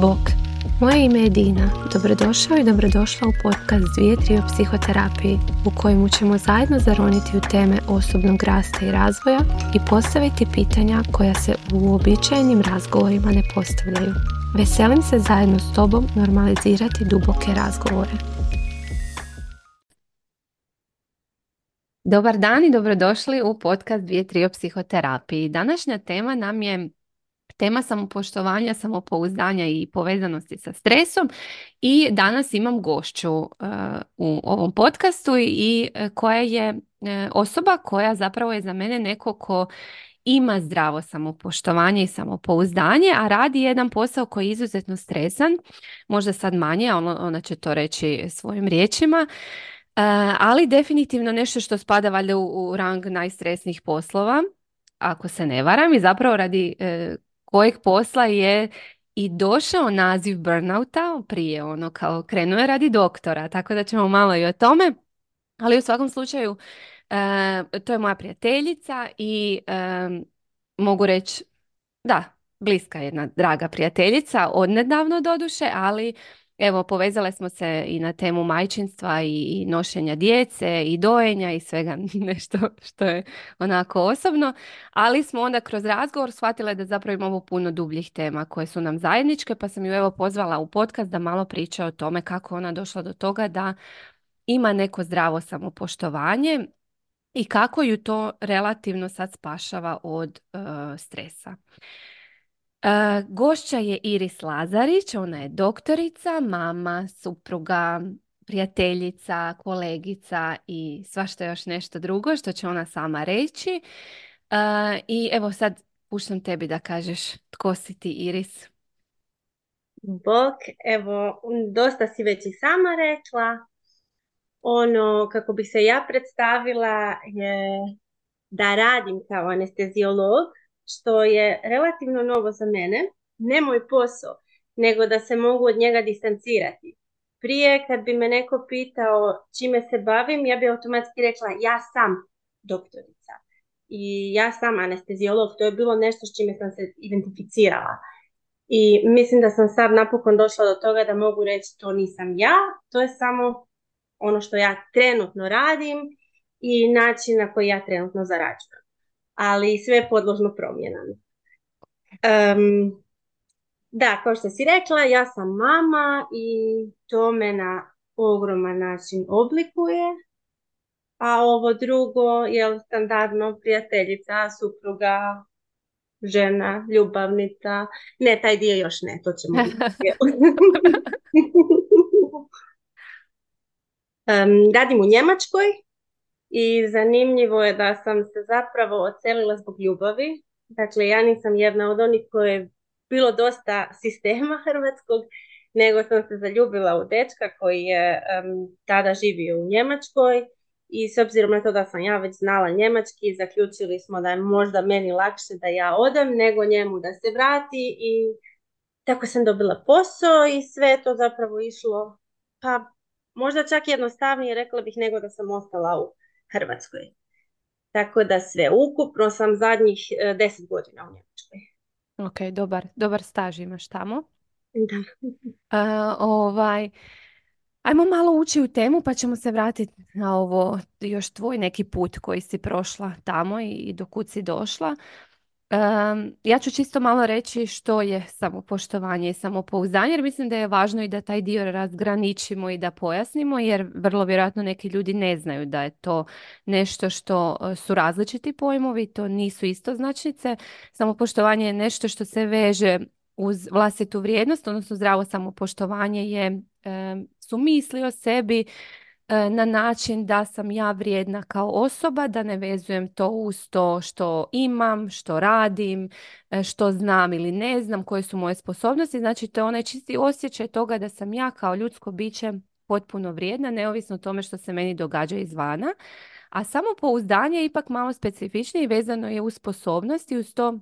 Bok, moje ime je Dina. Dobrodošao i dobrodošla u podcast 2-3 o psihoterapiji u kojemu ćemo zajedno zaroniti u teme osobnog rasta i razvoja i postaviti pitanja koja se u uobičajenim razgovorima ne postavljaju. Veselim se zajedno s tobom normalizirati duboke razgovore. Dobar dan i dobrodošli u podcast 2-3 o psihoterapiji. Današnja tema nam je tema samopoštovanja, samopouzdanja i povezanosti sa stresom i danas imam gošću u ovom podcastu i koja je osoba koja zapravo je za mene neko ko ima zdravo samopoštovanje i samopouzdanje, a radi jedan posao koji je izuzetno stresan, možda sad manje, a ona će to reći svojim riječima, ali definitivno nešto što spada valjda u rang najstresnijih poslova, ako se ne varam, i zapravo radi kojeg posla je i došao naziv burnouta, prije kao krenuo je radi doktora, tako da ćemo malo i o tome, ali u svakom slučaju to je moja prijateljica i mogu reći da, bliska jedna draga prijateljica, odnedavno doduše, ali evo povezale smo se i na temu majčinstva i nošenja djece i dojenja i svega nešto što je onako osobno, ali smo onda kroz razgovor shvatile da zapravo imamo puno dubljih tema koje su nam zajedničke, pa sam ju evo pozvala u podcast da malo priča o tome kako ona došla do toga da ima neko zdravo samopoštovanje i kako ju to relativno sad spašava od stresa. Gošća je Iris Lazarić, ona je doktorica, mama, supruga, prijateljica, kolegica i svašta još nešto drugo što će ona sama reći. I evo sad puštam tebi da kažeš tko si ti, Iris. Bok, evo, dosta si već i sama rekla. Ono, kako bi se ja predstavila je da radim kao anesteziolog, što je relativno novo za mene, ne moj posao, nego da se mogu od njega distancirati. Prije, kad bi me neko pitao čime se bavim, ja bi automatski rekla ja sam doktorica i ja sam anesteziolog. To je bilo nešto s čime sam se identificirala. I mislim da sam sad napokon došla do toga da mogu reći to nisam ja, to je samo ono što ja trenutno radim i način na koji ja trenutno zarađujem. Ali sve je podložno promjenama. Da, kao što si rekla, ja sam mama i to me na ogroman način oblikuje. A ovo drugo je standardno prijateljica, supruga, žena, ljubavnica. Ne, taj dio još ne, to ćemo vidjeti. Radim u Njemačkoj i zanimljivo je da sam se zapravo odselila zbog ljubavi. Dakle, ja nisam jedna od onih koje je bilo dosta sistema hrvatskog, nego sam se zaljubila u dečka koji je tada živio u Njemačkoj i s obzirom na to da sam ja već znala njemački, zaključili smo da je možda meni lakše da ja odem nego njemu da se vrati i tako sam dobila posao i sve to zapravo išlo, pa možda čak jednostavnije, rekla bih, nego da sam ostala u Hrvatskoj. Tako da sve ukupno sam zadnjih 10 godina u Njemačkoj. Ok, dobar staž imaš tamo. Da. Ajmo malo ući u temu pa ćemo se vratiti na ovo još tvoj neki put koji si prošla tamo i do kud si došla. Ja ću čisto malo reći što je samopoštovanje i samopouzdanje, jer mislim da je važno i da taj dio razgraničimo i da pojasnimo, jer vrlo vjerojatno neki ljudi ne znaju da je to nešto što su različiti pojmovi, to nisu istoznačnice. Samopoštovanje je nešto što se veže uz vlastitu vrijednost, odnosno zdravo samopoštovanje su misli o sebi na način da sam ja vrijedna kao osoba, da ne vezujem to uz to što imam, što radim, što znam ili ne znam, koje su moje sposobnosti. Znači to je onaj čisti osjećaj toga da sam ja kao ljudsko biće potpuno vrijedna, neovisno o tome što se meni događa izvana. A samopouzdanje je ipak malo specifičnije i vezano je uz sposobnosti, uz to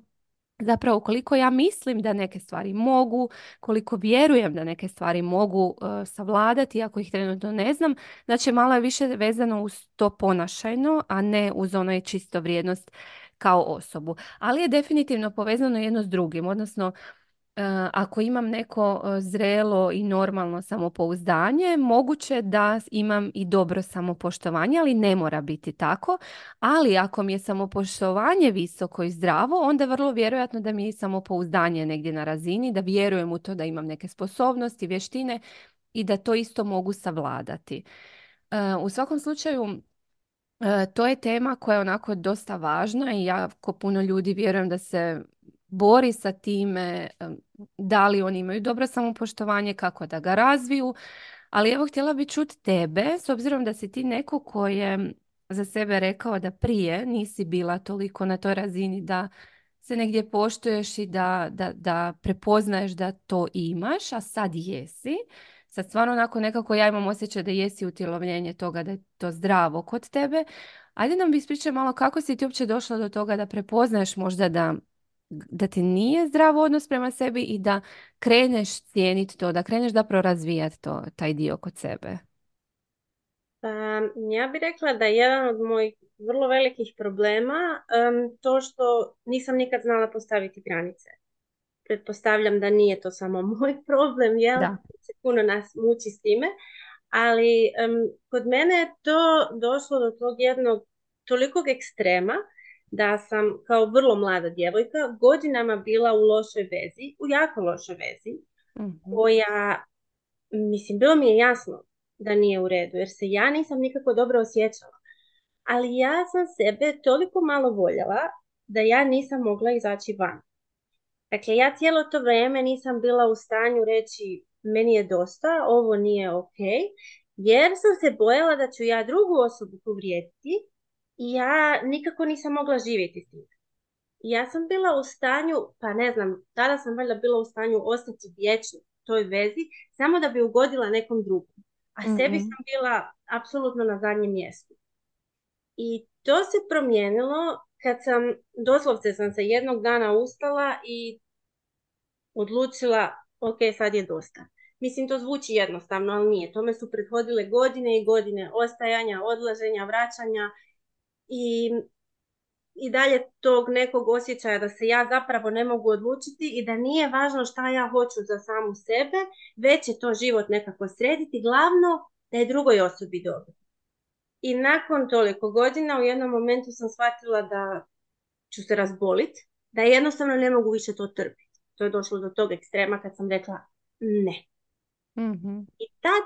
zapravo koliko ja mislim da neke stvari mogu, koliko vjerujem da neke stvari mogu savladati, iako ih trenutno ne znam. Znači malo je više vezano uz to ponašajno, a ne uz onaj čisto vrijednost kao osobu. Ali je definitivno povezano jedno s drugim, odnosno ako imam neko zrelo i normalno samopouzdanje, moguće da imam i dobro samopoštovanje, ali ne mora biti tako. Ali ako mi je samopoštovanje visoko i zdravo, onda je vrlo vjerojatno da mi je i samopouzdanje negdje na razini, da vjerujem u to da imam neke sposobnosti, vještine i da to isto mogu savladati. U svakom slučaju, to je tema koja je onako dosta važna i ja ko puno ljudi vjerujem da se bori sa time, da li oni imaju dobro samopoštovanje, kako da ga razviju. Ali evo, htjela bi čuti tebe, s obzirom da si ti neko ko je za sebe rekao da prije nisi bila toliko na toj razini da se negdje poštuješ i da prepoznaješ da to imaš, a sad jesi. Sad stvarno onako nekako ja imam osjećaj da jesi utjelovljenje toga, da je to zdravo kod tebe. Ajde nam bi ispričaj malo kako si ti uopće došla do toga da prepoznaješ možda da ti nije zdrav odnos prema sebi i da kreneš cijeniti to, da kreneš zapravo razvijati to, taj dio kod sebe. Pa, ja bih rekla da je jedan od mojih vrlo velikih problema to što nisam nikad znala postaviti granice. Pretpostavljam da nije to samo moj problem, jel? Da. Puno nas muči s time, ali kod mene je to došlo do tog jednog tolikog ekstrema da sam kao vrlo mlada djevojka godinama bila u lošoj vezi, u jako lošoj vezi, Mhm. koja, mislim, bilo mi je jasno da nije u redu, jer se ja nisam nikako dobro osjećala. Ali ja sam sebe toliko malo voljela da ja nisam mogla izaći van. Dakle, ja cijelo to vrijeme nisam bila u stanju reći meni je dosta, ovo nije ok, jer sam se bojala da ću ja drugu osobu povrijediti i ja nikako nisam mogla živjeti s tim. I ja sam bila u stanju, pa ne znam, tada sam valjda bila u stanju ostati vječno u toj vezi, samo da bi ugodila nekom drugom. A sebi Mhm. sam bila apsolutno na zadnjem mjestu. I to se promijenilo kad sam, doslovce sam se jednog dana ustala i odlučila, ok, sad je dosta. Mislim, to zvuči jednostavno, ali nije. Tome su prethodile godine i godine ostajanja, odlaženja, vraćanja i, i dalje tog nekog osjećaja da se ja zapravo ne mogu odlučiti i da nije važno šta ja hoću za samu sebe, već je to život nekako srediti, glavno da je drugoj osobi dobro. I nakon toliko godina u jednom momentu sam shvatila da ću se razboliti, da jednostavno ne mogu više to trpiti. To je došlo do tog ekstrema kad sam rekla ne. Mhm. I tad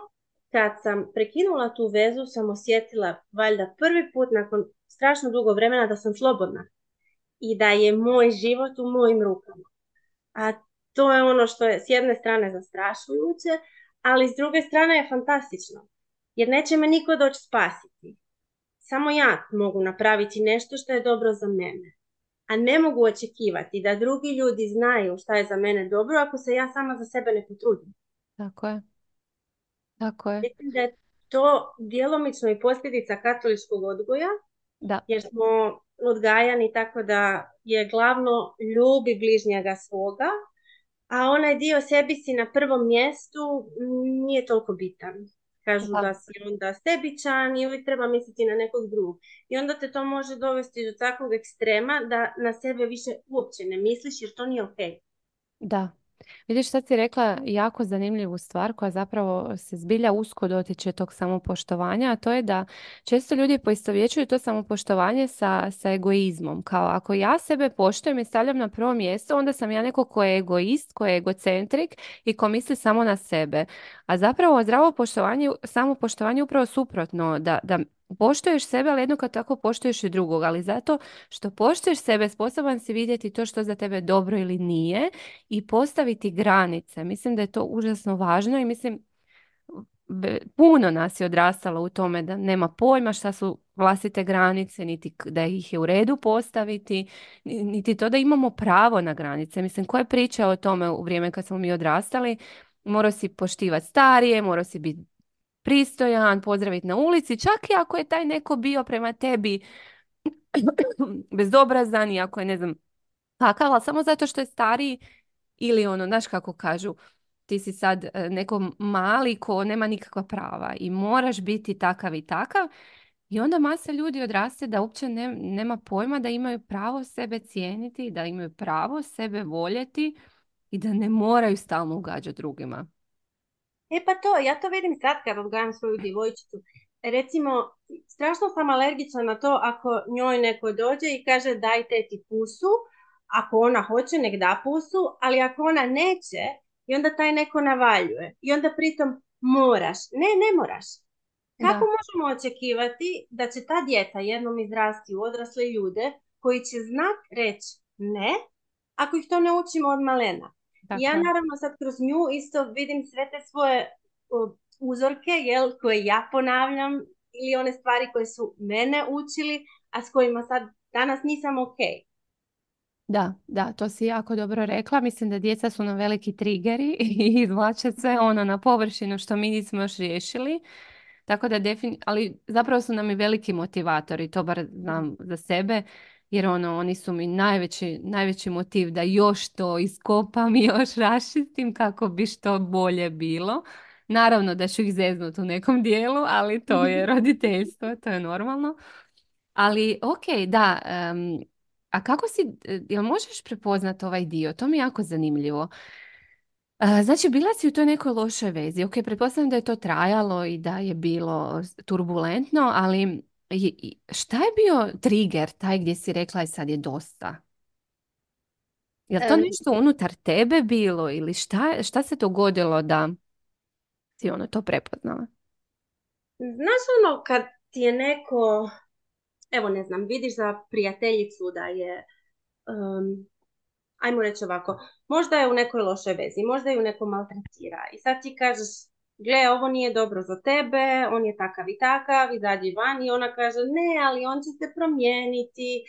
kad sam prekinula tu vezu sam osjetila valjda prvi put nakon strašno dugo vremena da sam slobodna i da je moj život u mojim rukama. A to je ono što je s jedne strane zastrašujuće, ali s druge strane je fantastično. Jer neće me niko doći spasiti. Samo ja mogu napraviti nešto što je dobro za mene. A ne mogu očekivati da drugi ljudi znaju šta je za mene dobro ako se ja sama za sebe ne potrudim. Tako je. Tako je. Mislim da je to djelomično i posljedica katoličkog odgoja, Da. jer smo odgajani tako da je glavno ljubi bližnjega svoga, a onaj dio sebi si na prvom mjestu nije toliko bitan. Kažu Da. da si onda sebičan i uvijek treba misliti na nekog drugog. I onda te to može dovesti do takvog ekstrema da na sebe više uopće ne misliš jer to nije ok. Da. Vidiš, sad si rekla jako zanimljivu stvar koja zapravo se zbilja usko dotiče tog samopoštovanja, a to je da često ljudi poistovjećuju to samopoštovanje sa egoizmom. Kao ako ja sebe poštujem i stavljam na prvo mjesto, onda sam ja neko ko je egoist, ko je egocentrik i ko misli samo na sebe. A zapravo zdravo poštovanje, samopoštovanje je upravo suprotno, da poštuješ sebe, ali jednako tako poštuješ i drugog. Ali zato što poštuješ sebe, sposoban si vidjeti to što za tebe dobro ili nije i postaviti granice. Mislim da je to užasno važno i mislim puno nas je odrastalo u tome da nema pojma šta su vlastite granice, niti da ih je u redu postaviti, niti to da imamo pravo na granice. Mislim, ko je pričao o tome u vrijeme kad smo mi odrastali? Morao si poštivati starije, morao si biti pristojan, pozdraviti na ulici, čak i ako je taj neko bio prema tebi bezobrazan i ako je ne znam kakav, ali samo zato što je stariji ili ono, znaš kako kažu, ti si sad neko mali ko nema nikakva prava i moraš biti takav i takav. I onda masa ljudi odraste da uopće nema pojma da imaju pravo sebe cijeniti, da imaju pravo sebe voljeti i da ne moraju stalno ugađati drugima. E pa to, ja to vidim sad kad odgajam svoju djevojčicu. Recimo, strašno sam alergična na to ako njoj neko dođe i kaže daj teti pusu, ako ona hoće nek da pusu, ali ako ona neće i onda taj neko navaljuje i onda pritom moraš. Ne, ne moraš. Kako Da, možemo očekivati da će ta djeca jednom izrasti u odrasle ljude koji će znat reći ne, ako ih to ne učimo od malena? Ja tako je. naravno sad kroz nju isto vidim sve te svoje uzorke, jel, koje ja ponavljam ili one stvari koje su mene učili, a s kojima sad danas nisam ok. Da, to si jako dobro rekla. Mislim da djeca su nam veliki trigeri i izvlače sve ono na površinu što mi nismo još riješili. Tako da ali zapravo su nam i veliki motivatori, to bar znam za sebe, jer oni su mi najveći motiv da još to iskopam i još raščistim kako bi što bolje bilo. Naravno da ću ih zeznuti u nekom dijelu, ali to je roditeljstvo, to je normalno. Ali ok, da, a kako si, jel možeš prepoznati ovaj dio? To mi je jako zanimljivo. Znači, bila si u toj nekoj lošoj vezi. Ok, pretpostavljam da je to trajalo i da je bilo turbulentno, ali šta je bio trigger, taj gdje si rekla i sad je dosta? Je li to Em, nešto unutar tebe bilo ili šta se dogodilo da si to prepoznala? Znaš ono kad ti je neko, evo ne znam, vidiš za prijateljicu da je ajmo reći ovako, možda je u nekoj lošoj vezi, možda je u nekom maltretira i sad ti kažeš, gle, ovo nije dobro za tebe, on je takav i takav, izađi van i ona kaže, ne, ali on će se promijeniti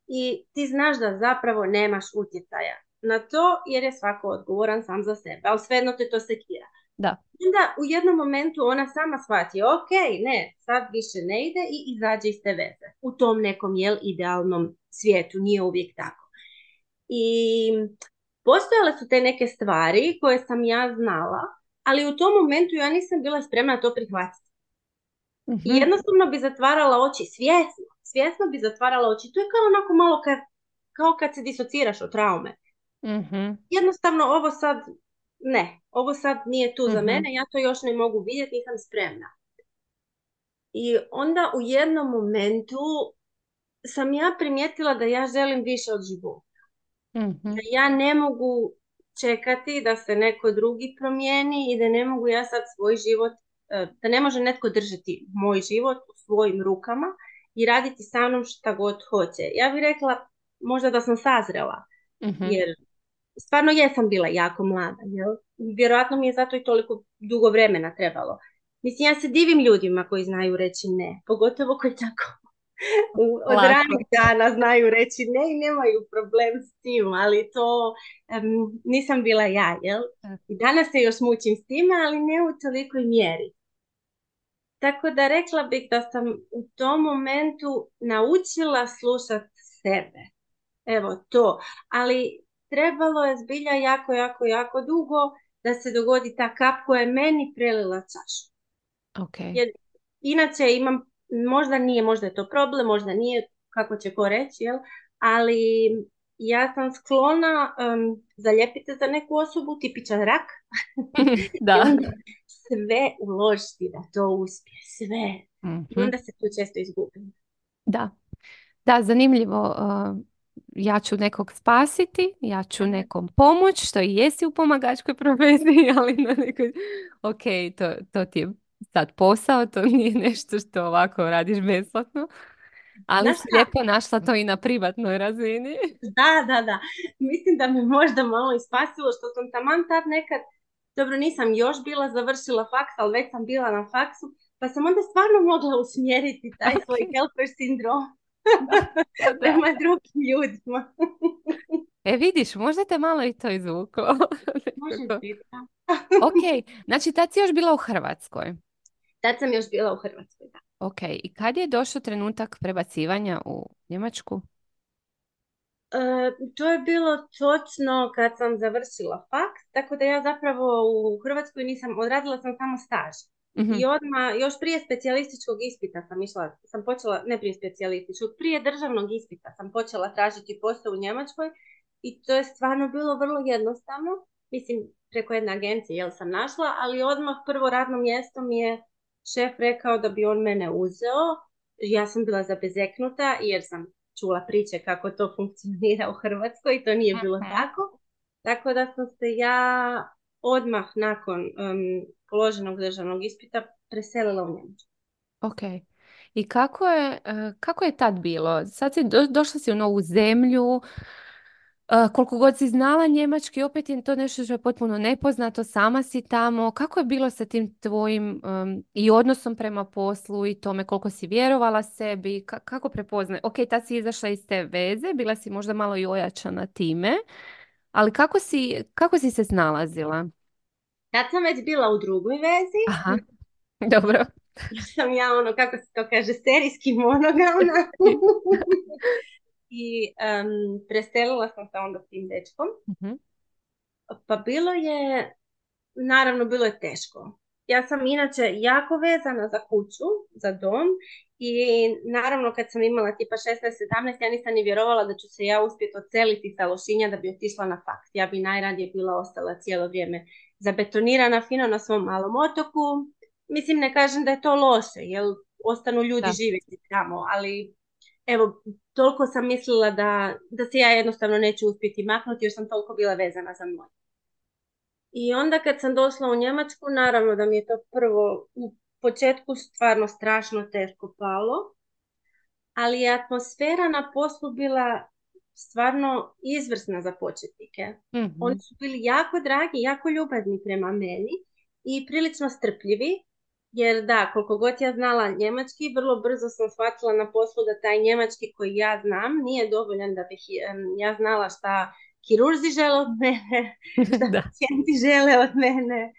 i ti znaš da zapravo nemaš utjecaja na to jer je svako odgovoran sam za sebe, ali svejedno te to sekira. Da. Onda u jednom momentu ona sama shvati, ok, ne, sad više ne ide i izađe iz te veze. U tom nekom, idealnom svijetu, nije uvijek tako. I postojale su te neke stvari koje sam ja znala, ali u tom momentu ja nisam bila spremna to prihvatiti. I Mhm, jednostavno bi zatvarala oči, svjesno bi zatvarala oči. To je kao onako malo kao kad se disociraš od traume. mhm, Jednostavno ovo sad, ne, ovo sad nije tu za mhm. mene, ja to još ne mogu vidjeti, nisam spremna. I onda u jednom momentu sam ja primijetila da ja želim više od života. Da Mhm. ja ne mogu čekati da se neko drugi promijeni i da ne mogu ja sad svoj život, da ne može netko držati moj život u svojim rukama i raditi sa mnom šta god hoće. Ja bih rekla možda da sam sazrela, Mhm. jer stvarno jesam bila jako mlada, jel? Vjerojatno mi je zato i toliko dugo vremena trebalo. Mislim, ja se divim ljudima koji znaju reći ne, pogotovo koji tako od Lako. ranih dana znaju reći ne i nemaju problem s tim, ali to nisam bila ja, jel? I danas se još mučim s time, ali ne u tolikoj mjeri. Tako da rekla bih da sam u tom momentu naučila slušati sebe. Evo to. Ali trebalo je zbilja jako, jako, jako dugo da se dogodi ta kap koja je meni prelila čašu. Ok. Jer inače imam, možda nije, možda je to problem, možda nije, kako će ko reći, jel? Ali ja sam sklona zaljepiti za neku osobu, tipičan rak, i Da. onda sve uložiti da to uspije, sve. I Mhm. onda se tu često izgubim. Da. Da, zanimljivo. Ja ću nekog spasiti, ja ću nekom pomoć, što i jesi u pomagačkoj profesiji, ali na nekoj... Ok, to ti je sad posao, to nije nešto što ovako radiš besplatno, ali Znaš si šta? lijepo našla to i na privatnoj razini. Da. Mislim da me možda malo i spasilo što sam taman tad nekad, dobro nisam još bila završila faks, ali već sam bila na faksu, pa sam onda stvarno mogla usmjeriti taj svoj Ok, helper sindrom da. prema drugim ljudima. E vidiš, možda te malo i to izvuklo. Može Nekako. biti, da. Ok, znači tad si još bila u Hrvatskoj. Tad sam još bila u Hrvatskoj, da. Ok, i kad je došao trenutak prebacivanja u Njemačku? To je bilo točno kad sam završila faks, tako da ja zapravo u Hrvatskoj nisam, odradila sam samo staž. Mhm. I odmah, još prije specijalističkog ispita sam počela, ne prije specijalističkog, prije državnog ispita sam počela tražiti posao u Njemačkoj i to je stvarno bilo vrlo jednostavno. mislim, preko jedne agencije, jel sam našla, ali odmah prvo radno mjesto mi je šef rekao da bi on mene uzeo. Ja sam bila zabezeknuta jer sam čula priče kako to funkcionira u Hrvatskoj i to nije bilo Mhm. tako. Tako da sam se ja odmah nakon položenog državnog ispita preselila u Njemačku. Ok. I kako je tad bilo? Sad si došla si u novu zemlju, koliko god si znala njemački, opet je to nešto što je potpuno nepoznato, sama si tamo. Kako je bilo sa tim tvojim i odnosom prema poslu i tome koliko si vjerovala sebi? Kako prepoznaj? Ok, tad si izašla iz te veze, bila si možda malo i ojačana time, ali kako si se snalazila? Kad sam već bila u drugoj vezi, Aha, dobro. jer sam ja ono, kako se to kaže, serijski monogamna. I preselila sam se onda s tim dečkom. Mhm, Pa naravno bilo je teško. Ja sam inače jako vezana za kuću, za dom i naravno kad sam imala tipa 16-17 ja nisam ni vjerovala da ću se ja uspjeti odseliti sa Lošinja da bi otišla na faks. Ja bi najradije bila ostala cijelo vrijeme zabetonirana fino na svom malom otoku. Mislim, ne kažem da je to loše, jer ostanu ljudi da. živjeti tamo, ali evo, toliko sam mislila da se ja jednostavno neću uspjeti maknuti jer sam toliko bila vezana za moj. I onda kad sam došla u Njemačku, naravno da mi je to prvo u početku stvarno strašno teško palo, ali je atmosfera na poslu bila stvarno izvrsna za početnike. Oni Mhm. su bili jako dragi, jako ljubazni prema meni i prilično strpljivi, jer da, koliko god ja znala njemački, vrlo brzo sam shvatila na poslu da taj njemački koji ja znam nije dovoljan da bih ja znala šta kirurzi žele od mene, šta Da. pacijenti žele od mene.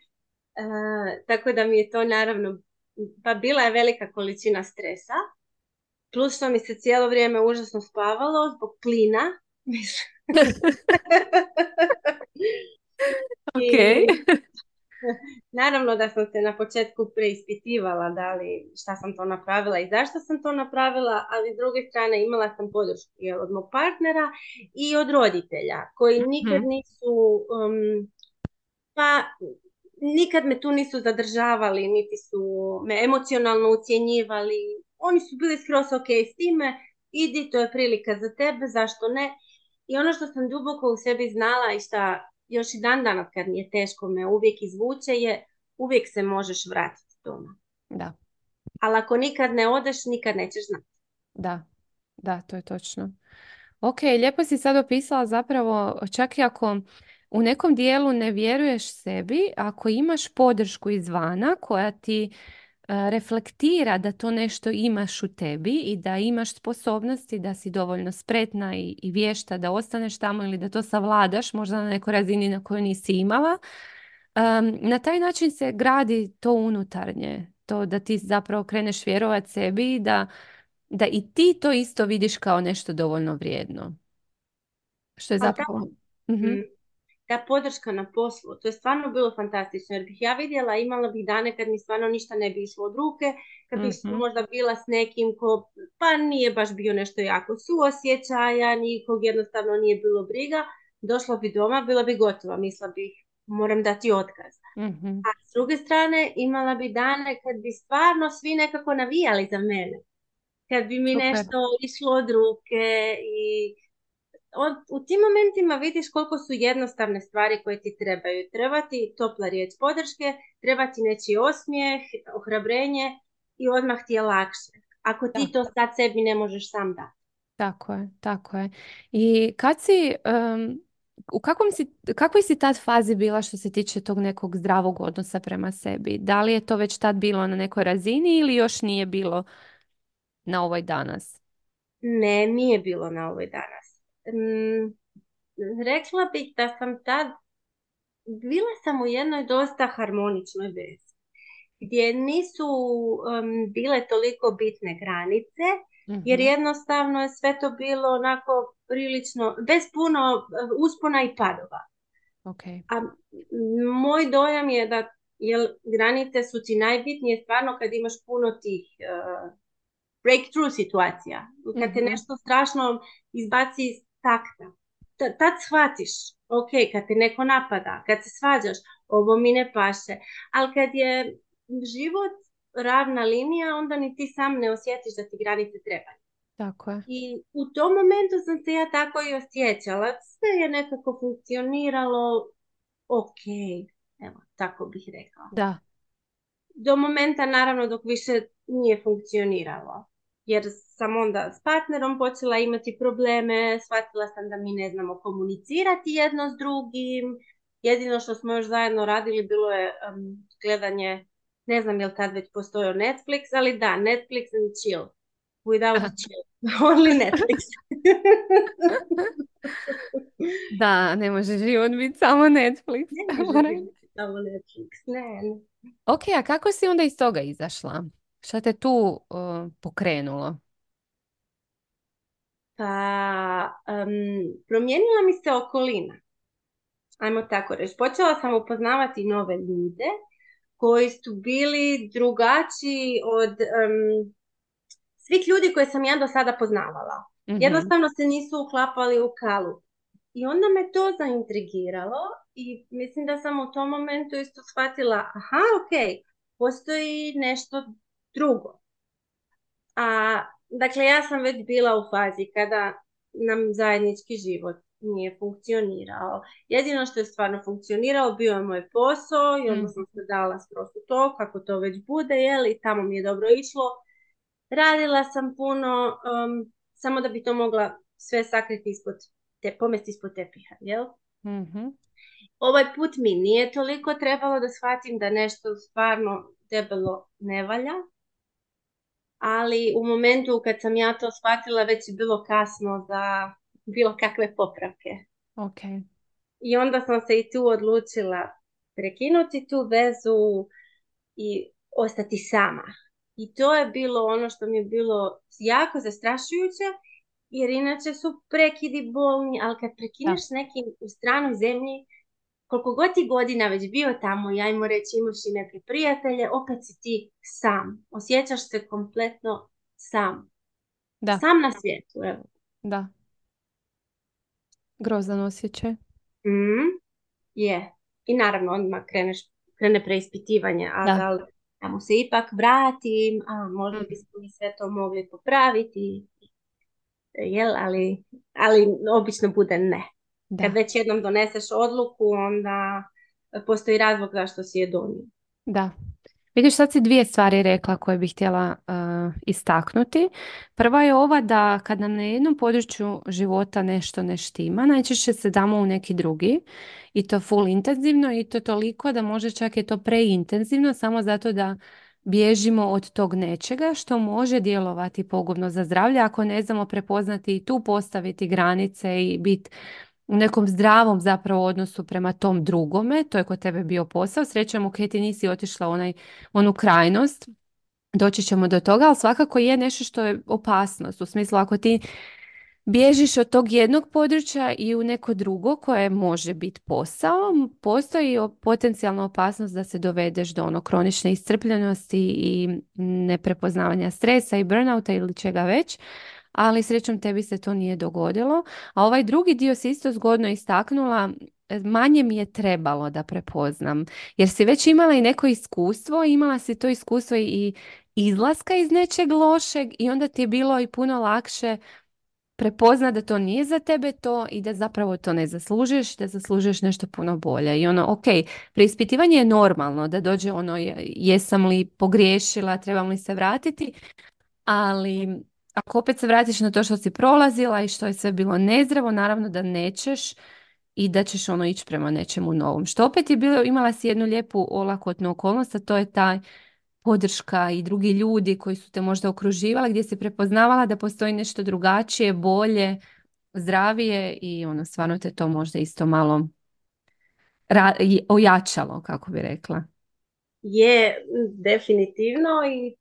Tako da mi je to naravno, pa bila je velika količina stresa, plus što mi se cijelo vrijeme užasno spavalo zbog plina. Ok. I naravno da sam se na početku preispitivala šta sam to napravila i zašto sam to napravila, ali s druge strane imala sam podršku od mog partnera i od roditelja koji nikad Mhm. nisu pa nikad me tu nisu zadržavali, niti su me emocionalno ucjenjivali. Oni su bili skroz ok s time, idi, to je prilika za tebe, zašto ne? I ono što sam duboko u sebi znala i što još i dan danas kad mi je teško me uvijek izvuče je uvijek se možeš vratiti doma. Da, Ali ako nikad ne odeš, nikad nećeš znati. da, da, to je točno. Ok, lijepo si sad opisala zapravo, čak i ako u nekom dijelu ne vjeruješ sebi, ako imaš podršku izvana koja ti reflektira da to nešto imaš u tebi i da imaš sposobnosti, da si dovoljno spretna i vješta da ostaneš tamo ili da to savladaš možda na nekoj razini na kojoj nisi imala. Na taj način se gradi to unutarnje, to da ti zapravo kreneš vjerovat sebi i da i ti to isto vidiš kao nešto dovoljno vrijedno. Što je Ali zapravo... Mhm, ta podrška na poslu, to je stvarno bilo fantastično, jer bih ja vidjela, imala bih dane kad mi stvarno ništa ne bi išlo od ruke, kad bih mhm, možda bila s nekim ko pa nije baš bio nešto jako suosjećajan i kog jednostavno nije bilo briga, došla bi doma, bila bi gotova, mislila bih moram dati otkaz. mhm. A s druge strane imala bi dane kad bi stvarno svi nekako navijali za mene, kad bi mi Super. nešto išlo od ruke i u tim momentima vidiš koliko su jednostavne stvari koje ti trebaju. Treba ti topla riječ podrške, treba ti nečiji osmijeh, ohrabrenje i odmah ti je lakše. Ako Da, ti to sad sebi ne možeš sam dati. tako je, tako je. I kad si, u kakvoj si tad fazi bila što se tiče tog nekog zdravog odnosa prema sebi? Da li je to već tad bilo na nekoj razini ili još nije bilo na ovoj danas? Ne, nije bilo na ovoj danas. Rekla bih da sam tad, bila sam u jednoj dosta harmoničnoj vezi, gdje nisu bile toliko bitne granice, jer Mhm. jednostavno je sve to bilo onako prilično, bez puno uspona i padova. Ok. A moj dojam je da granice su ti najbitnije stvarno kad imaš puno tih breakthrough situacija. Kad te Mhm. nešto strašno izbaci iz takta. Tad shvatiš ok, kad te neko napada, kad se svađaš, ovo mi ne paše. Ali kad je život ravna linija, onda ni ti sam ne osjetiš da ti granice trebaju. Tako je. I u tom momentu sam se ja tako i osjećala. Sve je nekako funkcioniralo ok. Evo, tako bih rekla. Da. Do momenta, naravno, dok više nije funkcioniralo. Jer sam onda s partnerom počela imati probleme, shvatila sam da mi ne znamo komunicirati jedno s drugim. Jedino što smo još zajedno radili bilo je gledanje, ne znam je li tad već postojao Netflix, ali da, Netflix and chill. Without chill. Only Netflix. Da, ne može život biti samo Netflix. Ne može biti samo Netflix, ne. Ok, a kako si onda iz toga izašla? Šta te tu pokrenulo? Pa, promijenila mi se okolina. Ajmo tako reći. Počela sam upoznavati nove ljude koji su bili drugačiji od svih ljudi koje sam ja do sada poznavala. Mhm. Jednostavno se nisu uklapali u kalup. I onda me to zaintrigiralo i mislim da sam u tom momentu isto shvatila, aha, ok, postoji nešto drugo. A, dakle, ja sam već bila u fazi kada nam zajednički život nije funkcionirao. Jedino što je stvarno funkcionirao bio je moj posao i onda Mm. sam se dala skroz u to, kako to već bude, i tamo mi je dobro išlo. Radila sam puno, samo da bi to mogla sve sakriti pomesti ispod tepiha, jel? Mhm. Ovaj put mi nije toliko trebalo da shvatim da nešto stvarno debelo ne valja, ali u momentu kad sam ja to shvatila već je bilo kasno za bilo kakve popravke. Ok. I onda sam se i tu odlučila prekinuti tu vezu i ostati sama. I to je bilo ono što mi je bilo jako zastrašujuće, jer inače su prekidi bolni, ali kad Da. prekineš nekim u stranoj zemlji, koliko god ti godina već bio tamo i ajmo reći imaš i neke prijatelje, opet si ti sam. Osjećaš se kompletno sam. Da. Sam na svijetu, evo. Da. Grozan osjećaj. Mm, je. I naravno odmah krene preispitivanje, a Da. da li da mu se ipak vratim, a možda Mm. bismo mi sve to mogli popraviti, jel, ali obično bude ne. Kad Da. već jednom doneseš odluku, onda postoji razlog zašto si je donio. Da. Vidiš, sad si dvije stvari rekla koje bih htjela istaknuti. Prva je ova da kad nam na jednom području života nešto ne štima, najčešće se damo u neki drugi i to full intenzivno i to toliko da može čak je to preintenzivno samo zato da bježimo od tog nečega što može djelovati pogubno za zdravlje ako ne znamo prepoznati i tu postaviti granice i biti u nekom zdravom zapravo odnosu prema tom drugome. To je kod tebe bio posao. Srećom, ok, ti nisi otišla u onu krajnost. Doći ćemo do toga, ali svakako je nešto što je opasnost. U smislu, ako ti bježiš od tog jednog područja i u neko drugo koje može biti posao, postoji potencijalna opasnost da se dovedeš do kronične iscrpljenosti i neprepoznavanja stresa i burnouta ili čega već, ali srećom tebi se to nije dogodilo. A ovaj drugi dio si isto zgodno istaknula, manje mi je trebalo da prepoznam, jer si već imala i neko iskustvo, imala si to iskustvo i izlaska iz nečeg lošeg i onda ti je bilo i puno lakše prepozna da to nije za tebe to i da zapravo to ne zaslužiš, da zaslužiš nešto puno bolje. I ok, preispitivanje je normalno da dođe jesam li pogriješila, trebam li se vratiti, ali ako opet se vratiš na to što si prolazila i što je sve bilo nezdravo, naravno da nećeš i da ćeš ići prema nečemu novom. Što opet je bilo, imala si jednu lijepu olakotnu okolnost, a to je taj podrška i drugi ljudi koji su te možda okruživali, gdje si prepoznavala da postoji nešto drugačije, bolje, zdravije i stvarno te to možda isto malo ojačalo, kako bi rekla. Je, definitivno, i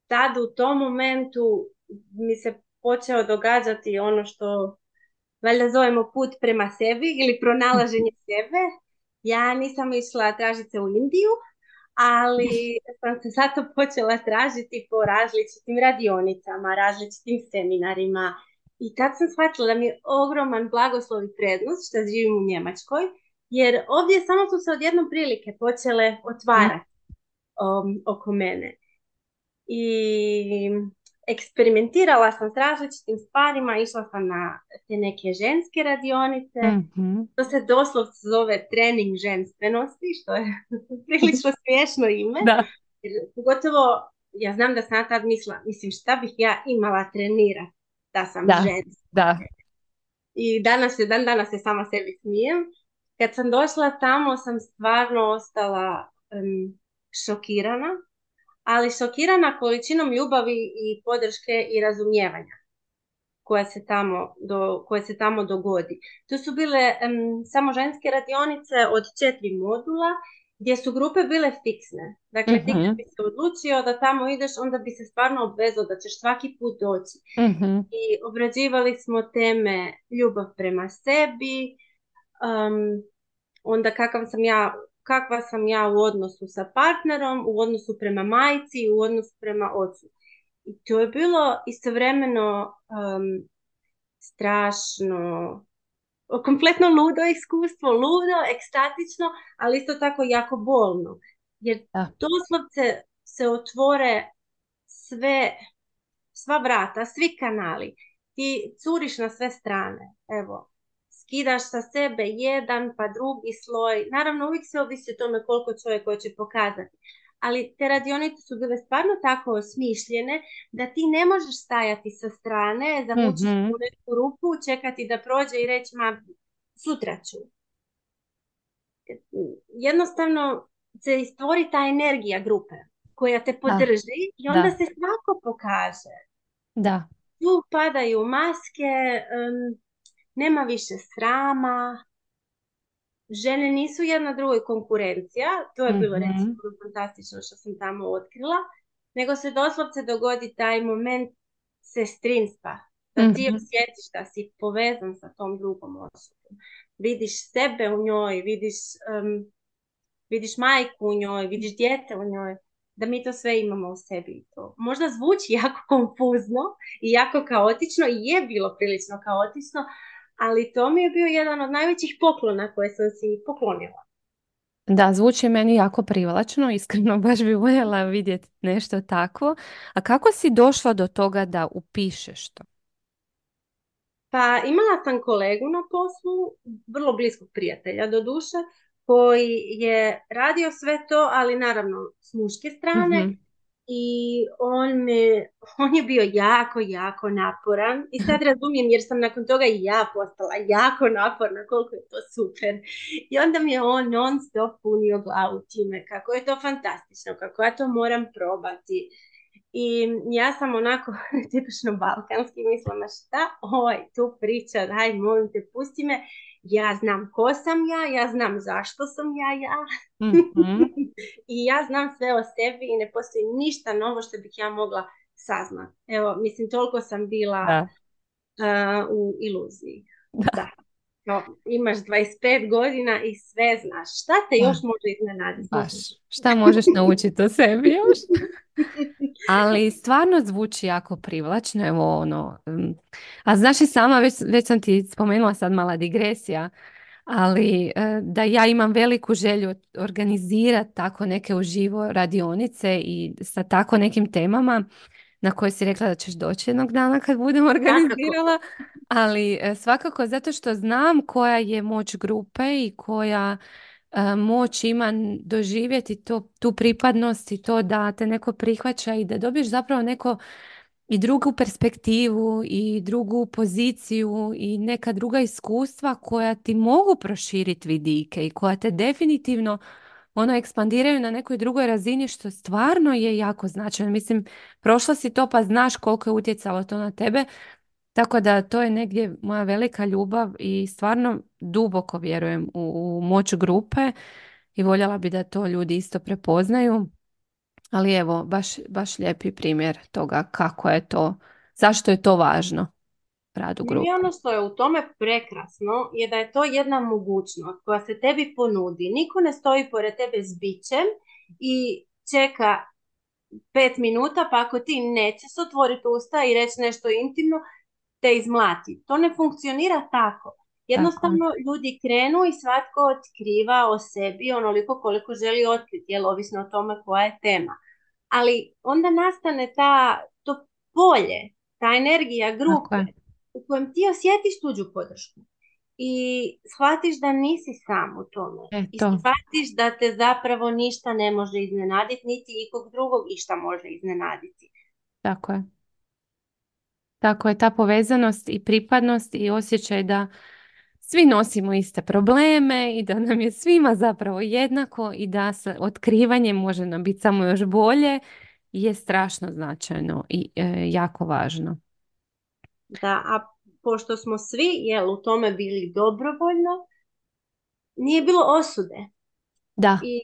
tad u tom momentu mi se počeo događati ono što valjda zovemo put prema sebi ili pronalaženje sebe. Ja nisam išla tražiti se u Indiju, ali sam se zato počela tražiti po različitim radionicama, različitim seminarima I tad sam shvatila da mi je ogroman blagoslov i prednost što živim u Njemačkoj, jer ovdje samo su se odjednom prilike počele Mm. otvarati oko mene. I eksperimentirala sam s različitim stvarima, išla sam na te neke ženske radionice, Mhm. to se doslovce zove trening ženstvenosti, što je prilično smiješno ime. Da, Jer pogotovo, ja znam da sam ja tad mislila, mislim šta bih ja imala trenirati da sam da, ženska. da. I dan danas se sama sebi smijem. Kad sam došla tamo sam stvarno ostala šokirana, ali šokirana količinom ljubavi i podrške i razumijevanja koje se tamo dogodi. To su bile samo ženske radionice od 4 modula gdje su grupe bile fiksne. Dakle, ti kad Mhm. bi se odlučio da tamo ideš, onda bi se stvarno obvezao da ćeš svaki put doći. Mhm. I obrađivali smo teme ljubav prema sebi, onda kakva sam ja u odnosu sa partnerom, u odnosu prema majci, u odnosu prema ocu. I to je bilo istovremeno strašno, kompletno ludo iskustvo, ludo, ekstatično, ali isto tako jako bolno. Jer Da. doslovce se otvore sva vrata, svi kanali. Ti curiš na sve strane. Evo, skidaš sa sebe jedan pa drugi sloj. Naravno, uvijek se ovisi o tome koliko čovjek hoće pokazati. Ali te radionice su bile stvarno tako osmišljene da ti ne možeš stajati sa strane, zavući se Mhm. u neku rupu, čekati da prođe i reći, ma, sutra ću. Jednostavno se stvori ta energija grupe koja te Da, podrži i onda da, se svako pokaže. da. Tu padaju maske, nema više srama, žene nisu jedna drugoj konkurencija, to je bilo recimo Mhm. fantastično što sam tamo otkrila, nego se doslovce dogodi taj moment sestrinstva, da ti Mhm. osjetiš da si povezan sa tom drugom osobom. Vidiš sebe u njoj, vidiš majku u njoj, vidiš dijete u njoj, da mi to sve imamo u sebi. To možda zvuči jako konfuzno i jako kaotično i je bilo prilično kaotično, ali to mi je bio jedan od najvećih poklona koje sam si poklonila. Da, zvuči meni jako privlačno, iskreno baš bi voljela vidjeti nešto takvo. A kako si došla do toga da upišeš to? Pa imala sam kolegu na poslu, vrlo bliskog prijatelja do duše, koji je radio sve to, ali naravno s muške strane. Mhm. I on je bio jako, jako naporan i sad razumijem jer sam nakon toga i ja postala jako naporna, koliko je to super. I onda mi je on non stop punio glavu time kako je to fantastično, kako ja to moram probati. I ja sam onako tipično balkanski mislila, šta tu priča, daj molim te pusti me, ja znam ko sam ja znam zašto sam ja. Mhm. I ja znam sve o sebi i ne postoji ništa novo što bih ja mogla saznati. Evo, mislim, toliko sam bila Da, u iluziji. da, Da. No, imaš 25 godina i sve znaš. Šta te još da, može iznenaditi? baš. Šta možeš naučiti o sebi još? Ali stvarno zvuči jako privlačno, evo ono. A znaš i sama, već sam ti spomenula sad mala digresija, ali da ja imam veliku želju organizirati tako neke uživo radionice i sa tako nekim temama na koje si rekla da ćeš doći jednog dana kad budem Svakako. organizirala, ali svakako zato što znam koja je moć grupe i koja moć ima doživjeti tu pripadnost i to da te neko prihvaća i da dobiješ zapravo neko i drugu perspektivu i drugu poziciju i neka druga iskustva koja ti mogu proširiti vidike i koja te definitivno ono ekspandiraju na nekoj drugoj razini što stvarno je jako značajno. Mislim, prošla si to pa znaš koliko je utjecalo to na tebe, tako da to je negdje moja velika ljubav i stvarno duboko vjerujem u moć grupe i voljela bi da to ljudi isto prepoznaju. Ali evo, baš lijepi primjer toga kako je to, zašto je to važno rad u Meni grupi. ono što je u tome prekrasno je da je to jedna mogućnost koja se tebi ponudi. Niko ne stoji pored tebe s bićem i čeka 5 minuta, pa ako ti nećeš otvoriti usta i reći nešto intimno, te izmlati. To ne funkcionira tako. Tako je. Jednostavno ljudi krenu i svatko otkriva o sebi onoliko koliko želi otkriti, jel, ovisno o tome koja je tema. Ali onda nastane to polje, ta energija Tako grupe je. u kojem ti osjetiš tuđu podršku i shvatiš da nisi sam u tome i Eto, shvatiš da te zapravo ništa ne može iznenaditi, niti ikog drugog išta može iznenaditi. tako je. Tako je, ta povezanost i pripadnost i osjećaj da svi nosimo iste probleme i da nam je svima zapravo jednako i da se otkrivanjem može nam biti samo još bolje je strašno značajno i jako važno. Da, a pošto smo svi, jel, u tome bili dobrovoljno, nije bilo osude. Da, I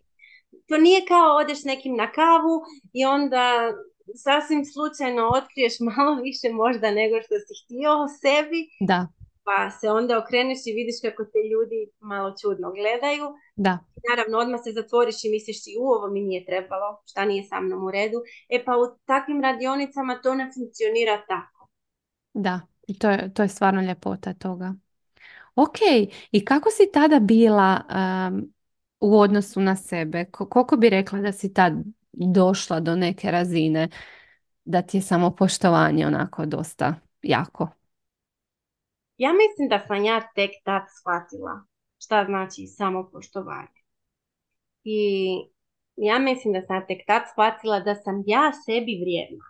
to nije kao odeš s nekim na kavu i onda sasvim slučajno otkriješ malo više možda nego što si htio o sebi, da, pa se onda okreneš i vidiš kako te ljudi malo čudno gledaju. da, Naravno, odmah se zatvoriš i misliš si, ovo mi nije trebalo, šta nije sa mnom u redu. E pa u takvim radionicama to ne funkcionira tako. da. I to je stvarno ljepota toga. Ok, i kako si tada bila u odnosu na sebe? Koliko bi rekla da si tad došla do neke razine da ti je samopoštovanje onako dosta jako? Ja mislim da sam ja tek tad shvatila šta znači samopoštovanje. I ja mislim da sam tek tad shvatila da sam ja sebi vrijedna.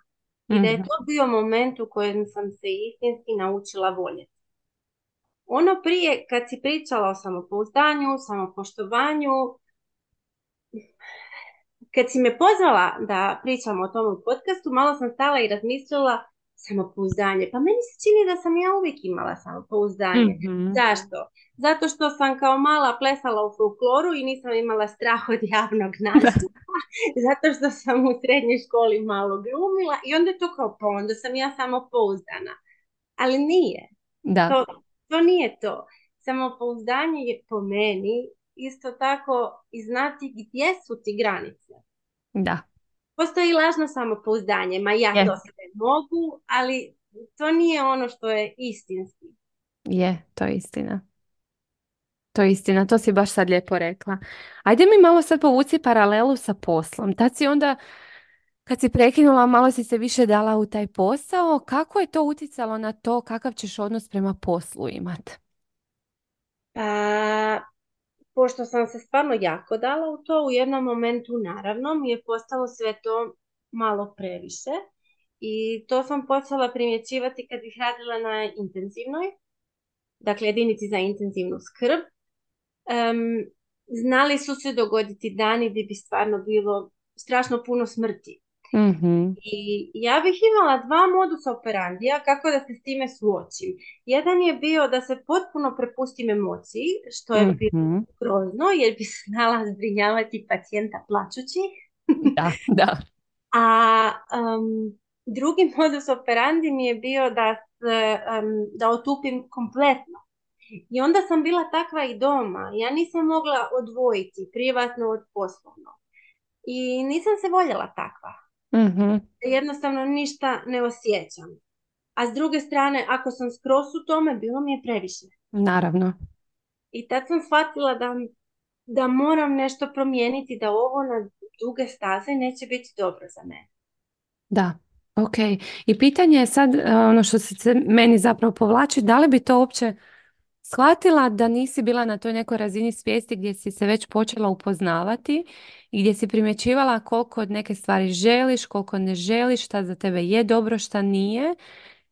I da je Mhm. to bio moment u kojem sam se istinski naučila voljeti. Ono prije, kad si pričala o samopouzdanju, samopoštovanju, kad si me pozvala da pričam o tom u podcastu, malo sam stala i razmislila samopouzdanje. Pa meni se čini da sam ja uvijek imala samopouzdanje. Mhm. Zašto? Zato što sam kao mala plesala u folkloru i nisam imala strah od javnog nastupa. Zato što sam u srednjoj školi malo glumila i onda je to kao, pa onda sam ja samopouzdana. Ali nije. Da, To, to nije to. Samopouzdanje je po meni isto tako i znati gdje su ti granice. da, Postoji lažno samopouzdanje, ma ja to je, sve mogu, ali to nije ono što je istinski. to je istina. To je istina, to si baš sad lijepo rekla. Ajde mi malo sad povuci paralelu sa poslom. Tad si onda, kad si prekinula, malo si se više dala u taj posao. Kako je to utjecalo na to kakav ćeš odnos prema poslu imat? Pa, pošto sam se stvarno jako dala u to, u jednom momentu naravno mi je postalo sve to malo previše i to sam počela primjećivati kad bih radila na intenzivnoj, dakle jedinici za intenzivnu skrb. Znali su se dogoditi dani gdje bi stvarno bilo strašno puno smrti. Mhm, I ja bih imala dva modusa operandija kako da se s time suočim. Jedan je bio da se potpuno prepustim emociji, što je bilo mhm. grozno jer bi znala zbrinjavati pacijenta plačući. Da, da. A drugi modus operandi mi je bio da otupim kompletno. I onda sam bila takva i doma. Ja nisam mogla odvojiti privatno od poslovno. I nisam se voljela takva. Mhm. Jednostavno ništa ne osjećam. A s druge strane, ako sam skroz u tome, bilo mi je previše. Naravno. I tad sam shvatila da moram nešto promijeniti, da ovo na duge staze neće biti dobro za mene. Da, ok. I pitanje je sad, ono što se meni zapravo povlači, da li bi to uopće shvatila da nisi bila na toj nekoj razini svijesti gdje si se već počela upoznavati i gdje si primjećivala koliko od neke stvari želiš, koliko ne želiš, šta za tebe je dobro, šta nije.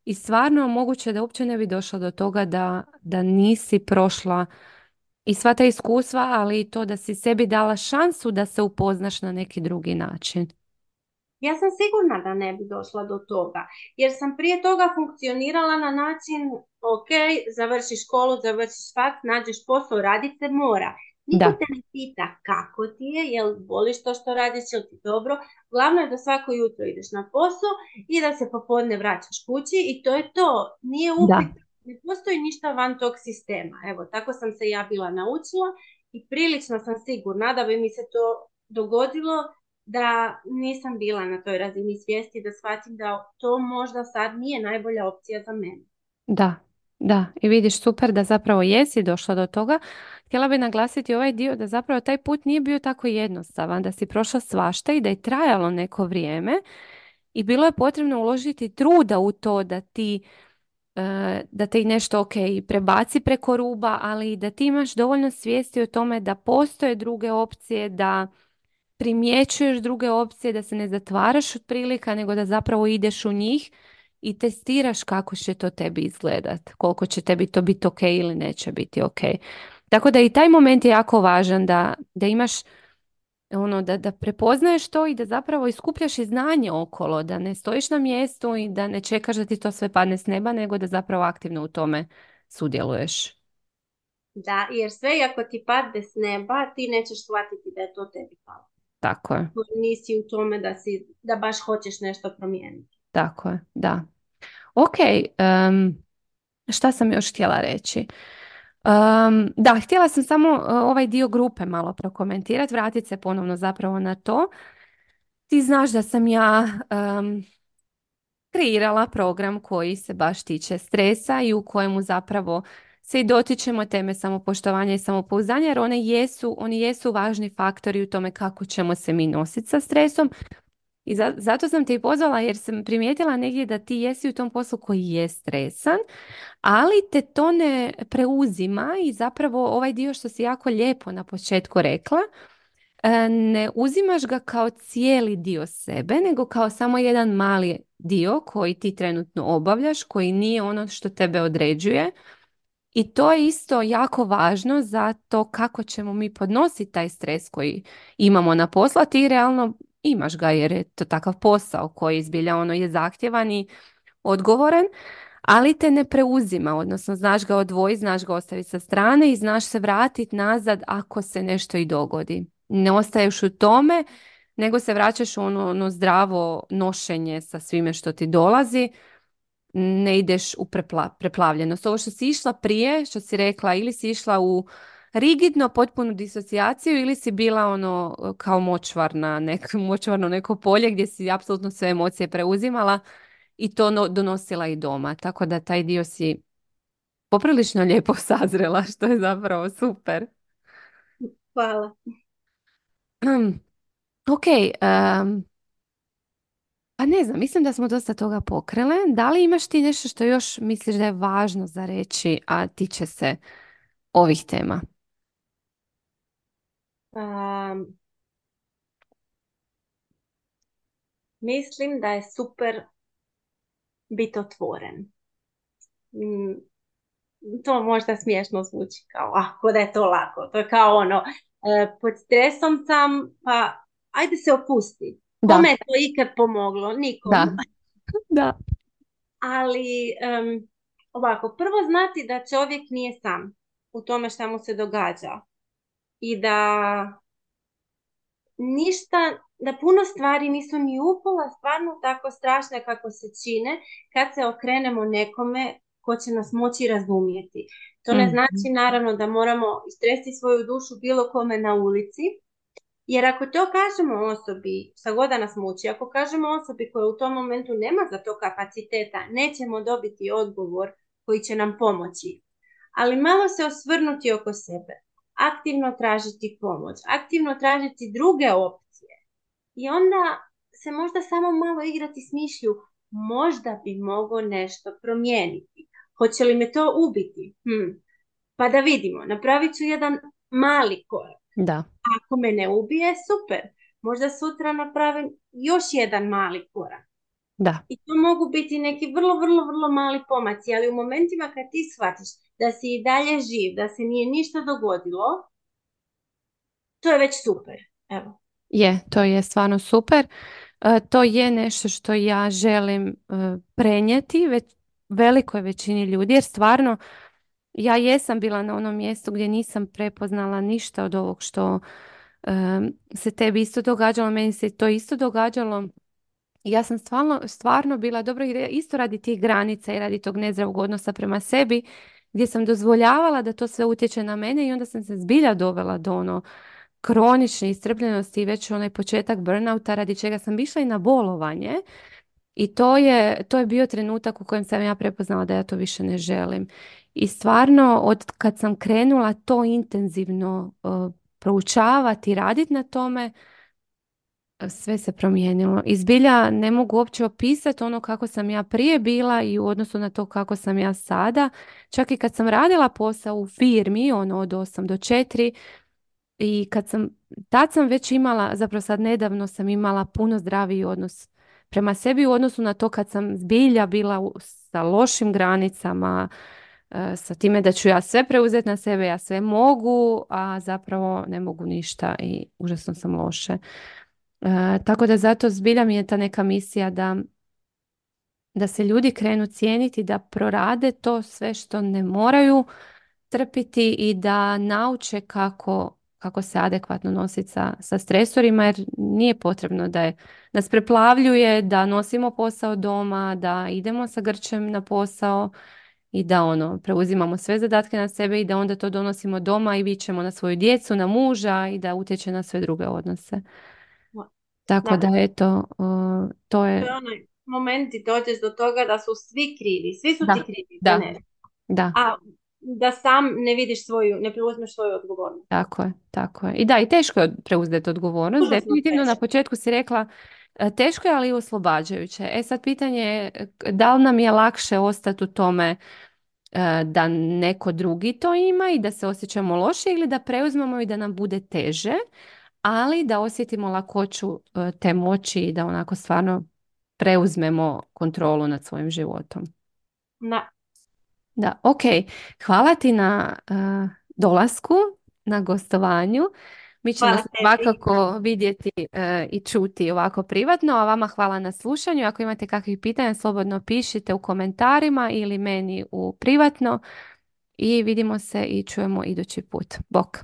I stvarno moguće da uopće ne bi došla do toga da nisi prošla i sva ta iskustva, ali i to da si sebi dala šansu da se upoznaš na neki drugi način. Ja sam sigurna da ne bi došla do toga, jer sam prije toga funkcionirala na način, ok, završiš školu, završiš faks, nađeš posao, radit se mora. Niko Da, te ne pita kako ti je, jel voliš to što radiš, jel ti dobro. Glavno je da svako jutro ideš na posao i da se popodne vraćaš kući i to je to. Nije da, upit, ne postoji ništa van tog sistema. Evo, tako sam se ja bila naučila i prilično sam sigurna da bi mi se to dogodilo da nisam bila na toj razini svijesti da shvatim da to možda sad nije najbolja opcija za mene. Da, da. I vidiš, super da zapravo jesi došla do toga. Htjela bih naglasiti ovaj dio da zapravo taj put nije bio tako jednostavan, da si prošla svašta i da je trajalo neko vrijeme i bilo je potrebno uložiti truda u to da te i nešto ok prebaci preko ruba, ali i da ti imaš dovoljno svijesti o tome da postoje druge opcije, da primjećuješ druge opcije, da se ne zatvaraš od prilika, nego da zapravo ideš u njih i testiraš kako će to tebi izgledat, koliko će tebi to biti ok ili neće biti ok. Tako da i taj moment je jako važan da imaš da prepoznaješ to i da zapravo iskupljaš i znanje okolo, da ne stojiš na mjestu i da ne čekaš da ti to sve padne s neba, nego da zapravo aktivno u tome sudjeluješ. Da, jer sve i ako ti padne s neba, ti nećeš shvatiti da je to tebi palo. Tako je, Nisi u tome da baš hoćeš nešto promijeniti. tako je, da. Ok, šta sam još htjela reći? Da, htjela sam samo ovaj dio grupe malo prokomentirati, vratiti se ponovno zapravo na to. Ti znaš da sam ja kreirala program koji se baš tiče stresa i u kojemu zapravo se i dotičemo teme samopoštovanja i samopouzdanja, jer oni jesu važni faktori u tome kako ćemo se mi nositi sa stresom. I zato sam te i pozvala jer sam primijetila negdje da ti jesi u tom poslu koji je stresan, ali te to ne preuzima i zapravo ovaj dio što si jako lijepo na početku rekla, ne uzimaš ga kao cijeli dio sebe, nego kao samo jedan mali dio koji ti trenutno obavljaš, koji nije ono što tebe određuje. I to je isto jako važno za to kako ćemo mi podnositi taj stres koji imamo na poslu, a ti realno imaš ga jer je to takav posao koji zbilja je zahtjevan i odgovoran, ali te ne preuzima, odnosno znaš ga odvojiti, znaš ga ostaviti sa strane i znaš se vratiti nazad ako se nešto i dogodi. Ne ostaješ u tome, nego se vraćaš u ono zdravo nošenje sa svime što ti dolazi, ne ideš u preplavljenost. Ovo što si išla prije, što si rekla, ili si išla u rigidno potpunu disocijaciju ili si bila kao močvarno neko polje gdje si apsolutno sve emocije preuzimala i to donosila i doma. Tako da taj dio si poprilično lijepo sazrela, što je zapravo super. Hvala. Ok, pa ne znam, mislim da smo dosta toga pokrele. Da li imaš ti nešto što još misliš da je važno za reći, a tiče se ovih tema? Um, Mislim da je super biti otvoren. Mm, To možda smiješno zvuči kao, ako da je to lako. To je kao pod stresom sam, pa ajde se opusti. Da, Kome je to ikad pomoglo? Nikom. da, da, Ali ovako, prvo znati da čovjek nije sam u tome šta mu se događa. I da ništa, da puno stvari nisu ni upola stvarno tako strašne kako se čine kad se okrenemo nekome ko će nas moći razumjeti. To ne Mhm. znači naravno da moramo istresti svoju dušu bilo kome na ulici, jer ako to kažemo osobi, šta god da nas muči, ako kažemo osobi koja u tom momentu nema za to kapaciteta, nećemo dobiti odgovor koji će nam pomoći. Ali malo se osvrnuti oko sebe, aktivno tražiti pomoć, aktivno tražiti druge opcije i onda se možda samo malo igrati s mišlju, možda bi mogao nešto promijeniti. Hoće li me to ubiti? Pa da vidimo, napravit ću jedan mali korak. Da, Ako me ne ubije, super. Možda sutra napravim još jedan mali korak. da. I to mogu biti neki vrlo, vrlo, vrlo mali pomaci, ali u momentima kad ti shvatiš da si i dalje živ, da se nije ništa dogodilo, to je već super. Evo. To je stvarno super. To je nešto što ja želim prenijeti velikoj većini ljudi, jer stvarno ja jesam bila na onom mjestu gdje nisam prepoznala ništa od ovog što se tebi isto događalo, meni se to isto događalo. I ja sam stvarno bila dobro isto radi tih granica i radi tog nezdravog odnosa prema sebi, gdje sam dozvoljavala da to sve utječe na mene i onda sam se zbilja dovela do kronične iscrpljenosti i već onaj početak burnouta radi čega sam išla i na bolovanje. I to je bio trenutak u kojem sam ja prepoznala da ja to više ne želim. I stvarno, od kad sam krenula to intenzivno proučavati i raditi na tome, sve se promijenilo. I zbilja ne mogu uopće opisati ono kako sam ja prije bila i u odnosu na to kako sam ja sada. Čak i kad sam radila posao u firmi, ono od 8 do 4, i tad sam već imala, zapravo sad nedavno sam imala puno zdraviji odnos prema sebi u odnosu na to kad sam zbilja bila sa lošim granicama, sa time da ću ja sve preuzeti na sebe, ja sve mogu, a zapravo ne mogu ništa i užasno sam loše. Tako da zato zbilja mi je ta neka misija da se ljudi krenu cijeniti, da prorade to sve što ne moraju trpiti i da nauče kako se adekvatno nositi sa stresorima, jer nije potrebno da nas preplavljuje, da nosimo posao doma, da idemo sa grčem na posao i da preuzimamo sve zadatke na sebe i da onda to donosimo doma i vičemo na svoju djecu, na muža i da utječe na sve druge odnose. Tako da Da. eto, to je... To je onaj moment i dođeš do toga da su svi krivi, svi su ti Da, krivi za da, nešto. da. A da sam ne vidiš ne preuzmeš svoju odgovornost. Tako je, tako je. I da, i teško je preuzeti odgovornost. Užasno Definitivno na teško. početku si rekla teško je, ali i oslobađajuće. Sad pitanje je da li nam je lakše ostati u tome da neko drugi to ima i da se osjećamo loše ili da preuzmemo i da nam bude teže, ali da osjetimo lakoću te moći i da onako stvarno preuzmemo kontrolu nad svojim životom. Da, ok. Hvala ti na dolasku, na gostovanju. Mi ćemo Hvala se tebi. svakako vidjeti i čuti ovako privatno, a vama hvala na slušanju. Ako imate kakvih pitanja, slobodno pišite u komentarima ili meni u privatno i vidimo se i čujemo idući put. Bok!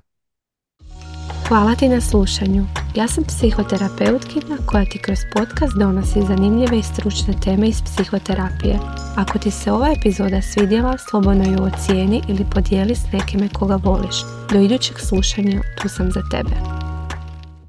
Hvala ti na slušanju. Ja sam psihoterapeutkinja koja ti kroz podcast donosi zanimljive i stručne teme iz psihoterapije. Ako ti se ova epizoda svidjela, slobodno ju ocijeni ili podijeli s nekime koga voliš. Do idućeg slušanja, tu sam za tebe.